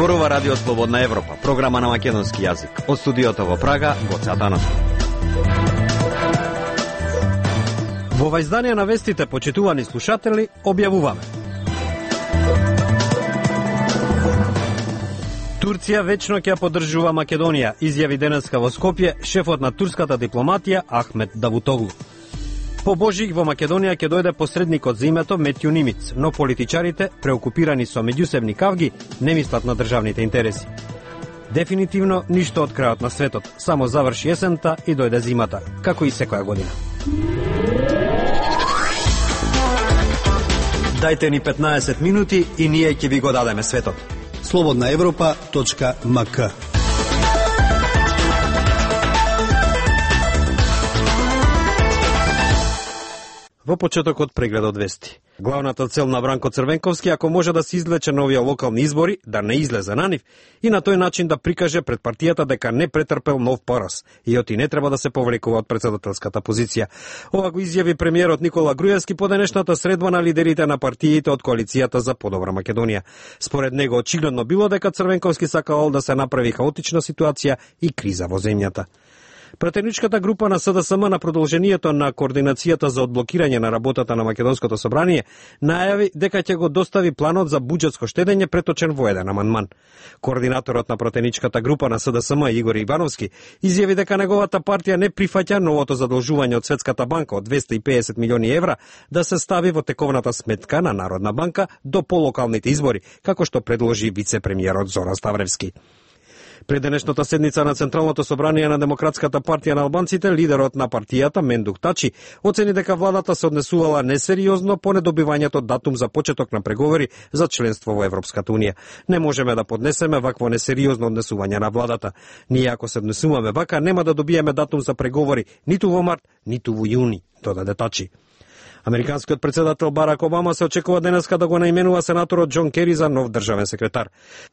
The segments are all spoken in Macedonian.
Зборува Радио Слободна Европа, програма на македонски јазик. Од студиото во Прага, Гоце Атанасов. Во ова издание на вестите, почитувани слушатели, објавуваме. Турција вечно ќе поддржува Македонија, изјави денеска во Скопје шефот на турската дипломатија Ахмет Давутоглу. По Божик во Македонија ќе дојде посредникот за името Метју Нимиц, но политичарите, преокупирани со меѓусебни кавги, не мислат на државните интереси. Дефинитивно ништо од крајот на светот, само заврши есента и дојде зимата, како и секоја година. Дајте ни 15 минути и ние ќе ви го дадеме светот. slobodnaevropa.mk. Во почетокот прегледот вести. Главната цел на Бранко Црвенковски, ако може да се извлече на овие локални избори, да не излезе на нив и на тој начин да прикаже пред партијата дека не претрпел нов пораз и оти не треба да се повлекува од председателската позиција. Ова го изјави премиерот Никола Груевски по денешната средба на лидерите на партиите од коалицијата за подобра Македонија. Според него очигледно било дека Црвенковски сакал да се направи хаотична ситуација и криза во земјата. Пратеничката група на СДСМ на продолжението на координацијата за одблокирање на работата на Македонското собрание најави дека ќе го достави планот за буџетско штедење преточен во еден амандман. Координаторот на пратеничката група на СДСМ Игор Ивановски изјави дека неговата партија не прифаќа новото задолжување од Светската банка од 250 милиони евра да се стави во тековната сметка на Народна банка до полокалните избори, како што предложи вице-премиерот Зоран Ставревски. Пред денешната седница на Централното собрание на Демократската партија на албанците, лидерот на партијата Мендук Тачи оцени дека владата се однесувала несериозно по недобивањето датум за почеток на преговори за членство во Европската унија. Не можеме да поднесеме вакво несериозно однесување на владата. Ние ако се однесуваме вака, нема да добиеме датум за преговори ниту во март, ниту во јуни, додаде Тачи. Американскиот председател Барак Обама се очекува денеска да го наименува сенаторот Џон Кери за нов државен секретар.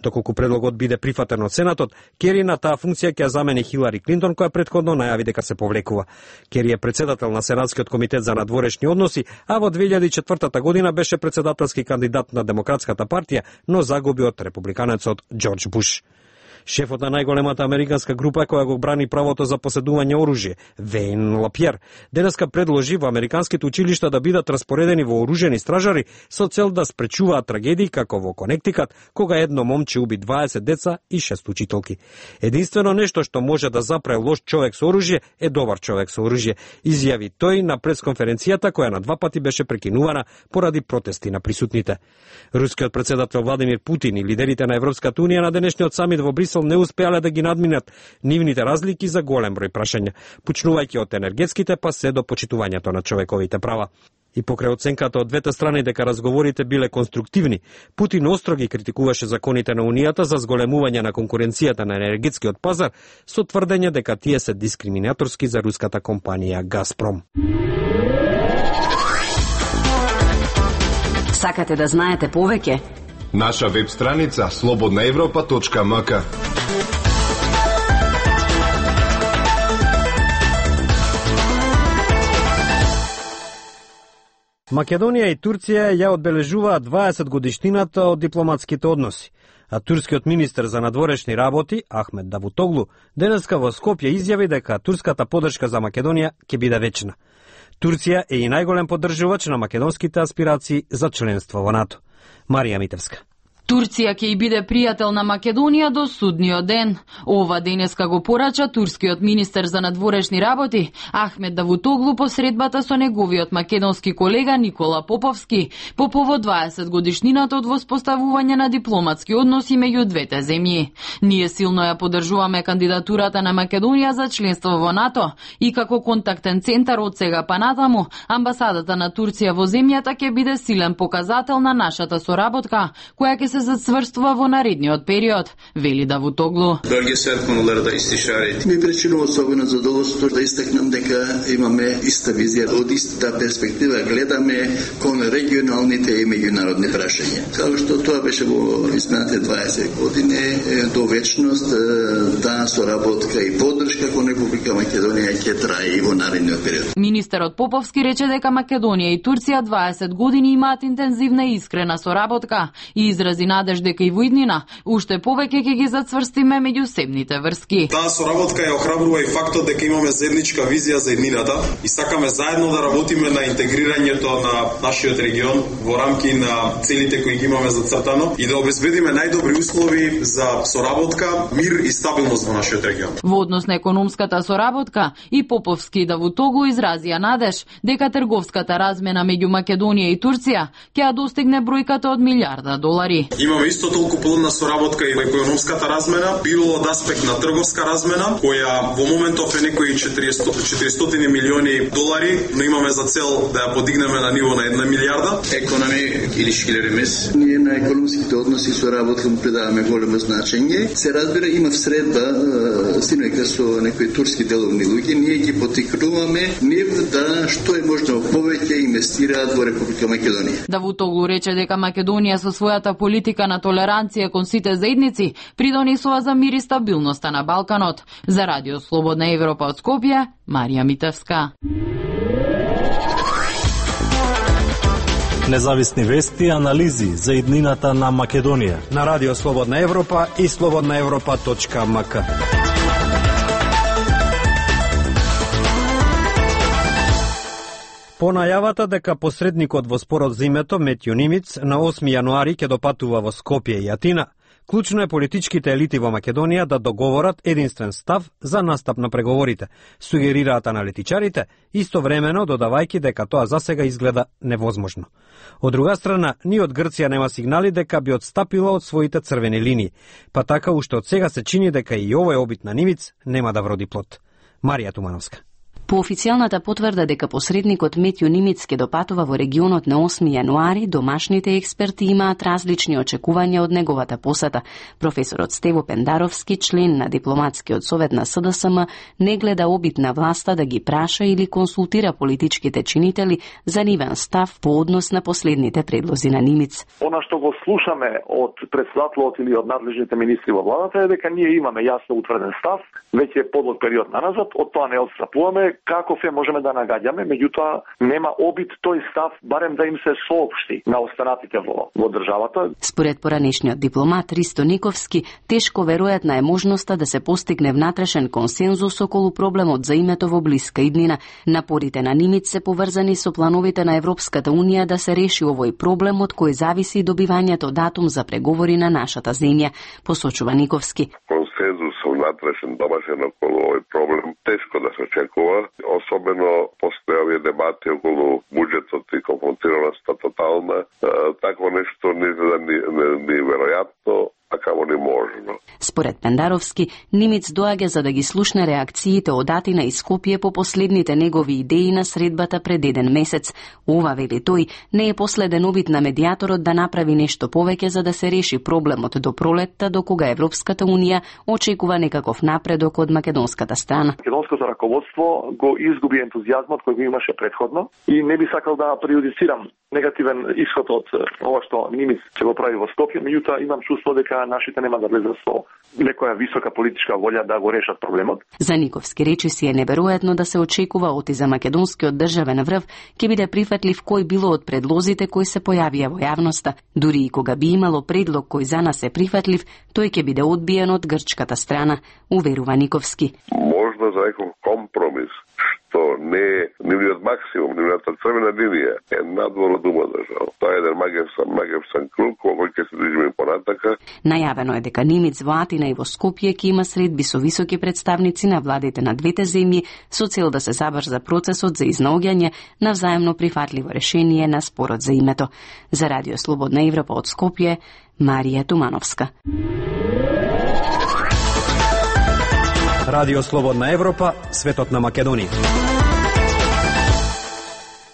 Доколку предлогот биде прифатен од Сенатот, Кери на таа функција ќе замени Хилари Клинтон, која претходно најави дека се повлекува. Кери е председател на Сенатскиот комитет за надворешни односи, а во 2004 година беше председателски кандидат на Демократската партија, но загуби од републиканецот Џорџ Буш. Шефот на најголемата американска група која го брани правото за поседување оружје, Вейн Лапјер, денеска предложи во американските училишта да бидат распоредени вооружени стражари со цел да спречуваат трагедии како во Конектикат, кога едно момче уби 20 деца и 6 учителки. Единствено нешто што може да запре лош човек со оружје е добар човек со оружје, изјави тој на пресконференцијата која на 2 пати беше прекинувана поради протести на присутните. Рускиот председател Владимир Путин и лидерите на Европската унија на денешниот самит во Брисел не успеале да ги надминат нивните разлики за голем број прашања, почнувајќи од енергетските па се до почитувањето на човековите права. И покрај оценката од двете страни дека разговорите биле конструктивни, Путин остро ги критикуваше законите на Унијата за зголемување на конкуренцијата на енергетскиот пазар со тврдење дека тие се дискриминаторски за руската компанија Газпром. Сакате да знаете повеќе? Наша веб страница slobodnaevropa.mk. Македонија и Турција ја одбележуваат 20 годишнината од дипломатските односи, а турскиот министер за надворешни работи Ахмет Давутоглу денеска во Скопје изјави дека турската поддршка за Македонија ќе биде вечна. Турција е и најголем поддржувач на македонските аспирации за членство во НАТО. Марија Митевска. Турција ќе и биде пријател на Македонија до судниот ден. Ова денеска го порача турскиот министер за надворешни работи Ахмет Давутоглу по средбата со неговиот македонски колега Никола Поповски по повод 20 годишнината од воспоставување на дипломатски односи меѓу двете земји. Ние силно ја поддржуваме кандидатурата на Македонија за членство во НАТО и како контактен центар од сега па натаму, амбасадата на Турција во земјата ќе биде силен показател на нашата соработка, која ќе се зацврстува во наредниот период, вели Давутоглу. Ми причинува особено задоволство да истакнам дека имаме иста визија, од иста перспектива гледаме кон регионалните и меѓународни прашања. Како што тоа беше во изминатите 20 години до вечност, таа соработка и поддршка кон Република Македонија ќе трае и во наредниот период. Министерот Поповски рече дека Македонија и Турција 20 години имаат интензивна и искрена соработка и изрази изрази надеж дека и во иднина уште повеќе ќе ги зацврстиме меѓусебните врски. Таа соработка ја охрабрува и фактот дека имаме заедничка визија за иднината и сакаме заедно да работиме на интегрирањето на нашиот регион во рамки на целите кои ги имаме зацртано и да обезбедиме најдобри услови за соработка, мир и стабилност во нашиот регион. Во однос на економската соработка и Поповски и Давутоглу изразија надеж дека трговската размена меѓу Македонија и Турција ќе ја достигне бројката од $1,000,000,000. Имаме исто толку плодна соработка и во економската размена, било од аспект на трговска размена, која во моментов е некои $400 милиони, но имаме за цел да ја подигнеме на ниво на 1 милијарда. Економи или шкилеремес, ние на економските односи соработка му придаваме големо значење. Се разбира, има всредба синојка со некои турски деловни луѓе, ние ги потикнуваме нив да што е можно повеќе инвестираат во Република Македонија. Давутоглу рече дека Македонија со својата политика на толеранција кон сите заедници придонесува за мир и стабилноста на Балканот. За Радио Слободна Европа од Скопје, Марија Митевска. Независни вести и анализи за иднината на Македонија на Радио Слободна Европа и slobodnaevropa.mk. По најавата дека посредникот во спорот за името Метју Нимиц на 8 јануари ќе допатува во Скопје и Атина, клучно е политичките елити во Македонија да договорат единствен став за настап на преговорите, сугерираат аналитичарите, истовремено додавајќи дека тоа засега изгледа невозможно. Од друга страна, ни од Грција нема сигнали дека би одстапила од своите црвени линии, па така уште од сега се чини дека и овој обид на Нимиц нема да вроди плод. Марија Тумановска. По официјалната потврда дека посредникот Метју Нимиц ќе допатува во регионот на 8 јануари, домашните експерти имаат различни очекувања од неговата посета. Професорот Стево Пендаровски, член на дипломатскиот совет на СДСМ, не гледа обид на власта да ги праша или консултира политичките чинители за нивен став по однос на последните предлози на Нимиц. Она што го слушаме од претседателот или од надлежните министри во владата е дека ние имаме јасно утврден став, веќе подолг период наназад, од тоа не отстапуваме. Како се можеме да нагаѓаме, меѓутоа нема обид тој став барем да им се соопшти на останатите во државата. Според поранешниот дипломат Ристо Никовски, тешко веројатна е можноста да се постигне внатрешен консензус околу проблемот за името во блиска иднина. Напорите на Нимиц се поврзани со плановите на Европската унија да се реши овој проблем од кој зависи и добивањето датум за преговори на нашата земја, посочува Никовски. Консензус внатрешен домашен околу овој проблем тешко да се очекува, особено после овие дебати околу буџетот и конфронтираноста тотална. Такво нешто не е веројатно, а камо не можно. Според Пендаровски, Нимиц доаѓа за да ги слушне реакциите од Атина и Скопје по последните негови идеи на средбата пред еден месец. Ова, вели тој, не е последен обид на медијаторот да направи нешто повеќе за да се реши проблемот до пролетта, до кога Европската унија очекува некаков напредок од македонската страна. Македонското раководство го изгуби ентузијазмот кој го имаше претходно и не би сакал да прејудицирам негативен исход од ова што Нимиц ќе го прави во Скопје, меѓутоа имам чувство дека нашите нема да влезат со некоја висока политичка волја да го решат проблемот. За Никовски речиси е неверојатно да се очекува оти за македонскиот државен врв ќе биде прифатлив кој било од предлозите кои се појавија во јавноста. Дури и кога би имало предлог кој за нас е прифатлив, тој ќе биде одбиен од грчката страна, уверува Никовски. Можно за некој компромис што не е нивниот максимум, нивната црвена линија е надвор од ума држава. Тоа е еден магевсан круг кој ќе се движиме понатака. Најавено е дека Нимиц во Атина и во Скопје ќе има средби со високи представници на владите на двете земји со цел да се забрза процесот за изнаоѓање на взаемно прифатливо решение на спорот за името. За Радио Слободна Европа од Скопје, Марија Тумановска. Радио Слободна Европа, светот на Македонија.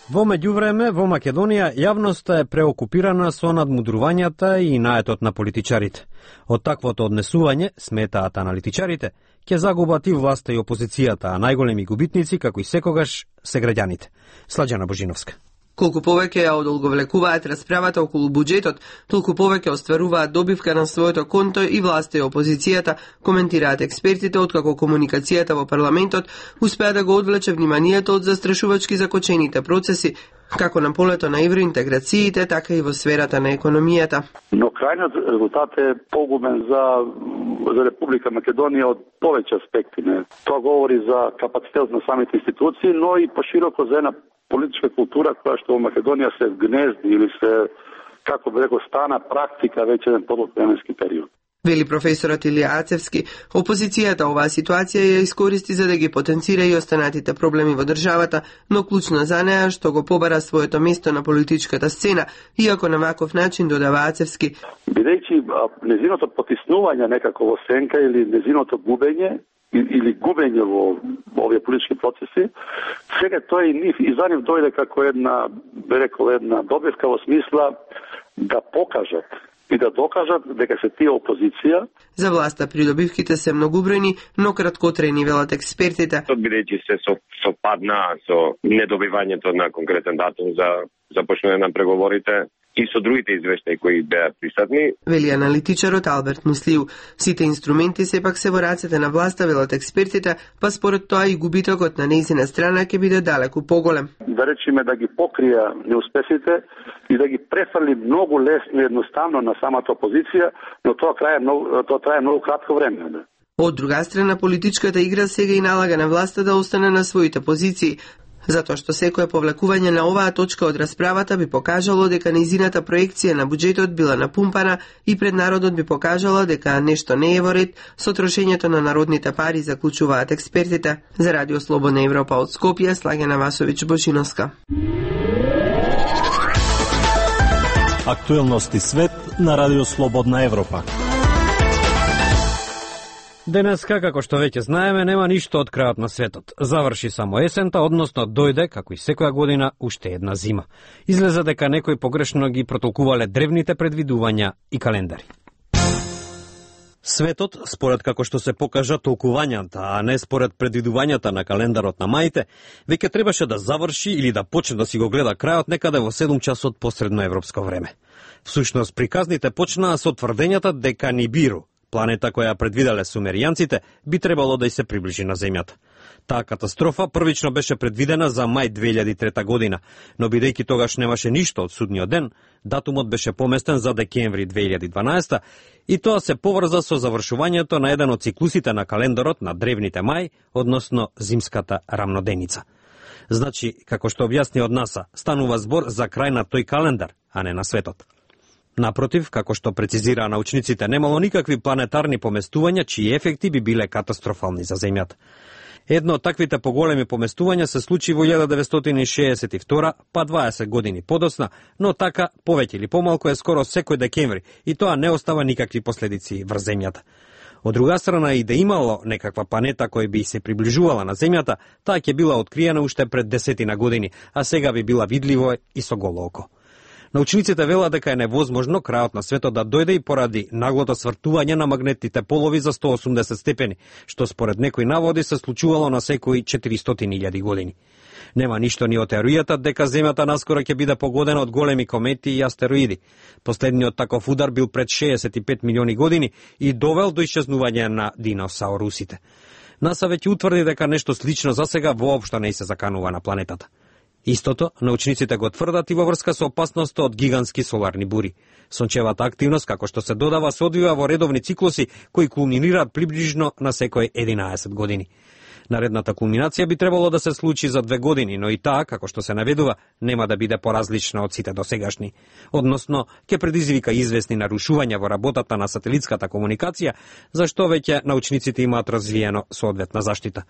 Во меѓувреме, во Македонија јавноста е преокупирана со надмудрувањата и наетот на политичарите. Од таквото однесување, сметаат аналитичарите, ќе загубат и власта и опозицијата, а најголеми губитници, како и секогаш, се граѓаните. Сладжана Божиновска. Колку повеќе ја одолговлекуваат расправата околу буџетот, толку повеќе остваруваат добивка на своето конто и власта и опозицијата, коментираат експертите, откако комуникацијата во парламентот успеа да го одвлече вниманието од застрашувачки закочените процеси како на полето на евроинтеграциите, така и во сферата на економијата. Но крајниот резултат е погубен за Република Македонија од повеќе аспекти. Тоа говори за капацитет на самите институции, но и пошироко за една политичка култура која што во Македонија се гнезди или се, како би рекол, стана практика веќе еден подолг временски период. Вели професорот Илија Ацевски, опозицијата оваа ситуација ја искористи за да ги потенцира и останатите проблеми во државата, но клучно за неа што го побара своето место на политичката сцена, иако на ваков начин, додава Ацевски. Бидејќи незиното потиснување некако во сенка или незиното губење, или губење во овие политички процеси, сега тој и нив и за нив дојде како една, би рекол, една добивка во смисла да покажат и да докажат дека се тие опозиција. За власта придобивките се многубројни, но краткотрени, велат експертите. Бидејќи се совпадна со недобивањето на конкретен датум за започнување на преговорите и со другите извештаи кои беа присутни. Вели аналитичарот Алберт Муслиу, сите инструменти сепак се во рацете на власта, велат експертите, па според тоа и губитокот на нејзина страна ќе биде далеку поголем. Да речеме да ги покрија неуспесите и да ги префрли многу лесно и едноставно на самата опозиција, но тоа трае многу кратко време. Од друга страна, политичката игра сега и налага на власта да остане на своите позиции, затоа што секое повлекување на оваа точка од расправата би покажало дека нејзината проекција на буџетот била напумпана и пред народот би покажала дека нешто не е во ред со трошењето на народните пари, заклучуваат експертите. За Радио Слободна Европа од Скопје, Слагена Васовиќ Бошиновска. Актуелности свет на Радио Слободна Европа. Денеска, како што веќе знаеме, нема ништо од крајот на светот. Заврши само есента, односно дојде, како и секоја година, уште една зима. Излезе дека некои погрешно ги протолкувале древните предвидувања и календари. Светот, според како што се покажа толкувањата, а не според предвидувањата на календарот на маите, веќе требаше да заврши или да почне да си го гледа крајот некаде во 7 часот по средноевропско време. Всушност, приказните почнаа со тврдењата дека Нибиру, планета која предвиделе сумеријанците, би требало да и се приближи на Земјата. Таа катастрофа првично беше предвидена за мај 2003 година, но бидејќи тогаш немаше ништо од судниот ден, датумот беше поместен за декември 2012 и тоа се поврза со завршувањето на еден од циклусите на календарот на древните мај, односно зимската рамноденица. Значи, како што објасни од НАСА, станува збор за крај на тој календар, а не на светот. Напротив, како што прецизираа научниците, немало никакви планетарни поместувања чии ефекти би биле катастрофални за Земјата. Едно од таквите поголеми поместувања се случи во 1962, па 20 години подоцна, но така, повеќе или помалку е скоро секој декември и тоа не остава никакви последици врз Земјата. Од друга страна, и да имало некаква планета која би се приближувала на Земјата, таа ќе била откриена уште пред 10 години, а сега би била видливо и со голо око. Научниците велат дека е невозможно крајот на светот да дојде и поради наглото свртување на магнетните полови за 180 степени, што според некои наводи се случувало на секои 400.000 години. Нема ништо ни од теоријата дека Земјата наскоро ќе биде погодена од големи комети и астероиди. Последниот таков удар бил пред 65 милиони години и довел до исчезнување на диносаурусите. НАСА веќе утврди дека нешто слично засега воопшто не се заканува на планетата. Истото, научниците го тврдат и во врска со опасноста од гигантски соларни бури. Сончевата активност, како што се додава, се одвива во редовни циклуси кои кулминираат приближно на секој 11 години. Наредната кулминација би требало да се случи за 2 години, но и таа, како што се наведува, нема да биде поразлична од сите досегашни. Односно, ќе предизвика известни нарушувања во работата на сателитската комуникација, за што веќе научниците имаат развиено соодветна заштита.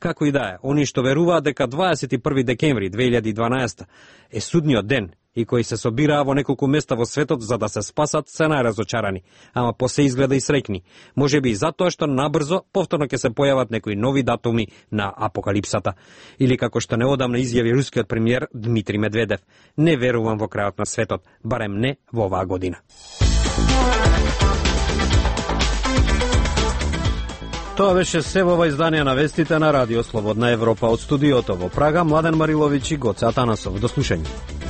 Како и да е, они што веруваат дека 21 декември 2012 е судниот ден и кои се собираа во неколку места во светот за да се спасат, се најразочарани, ама посе изгледа и среќни. Можеби и затоа што набрзо повторно ќе се појават некои нови датуми на апокалипсата. Или како што неодамна изјави рускиот премиер Дмитрий Медведев: не верувам во крајот на светот, барем не во оваа година. Тоа беше се во ова издание на вестите на Радио Слободна Европа. Од студиото во Прага, Младен Мариловиќ и Гоце Атанасов. До слушање.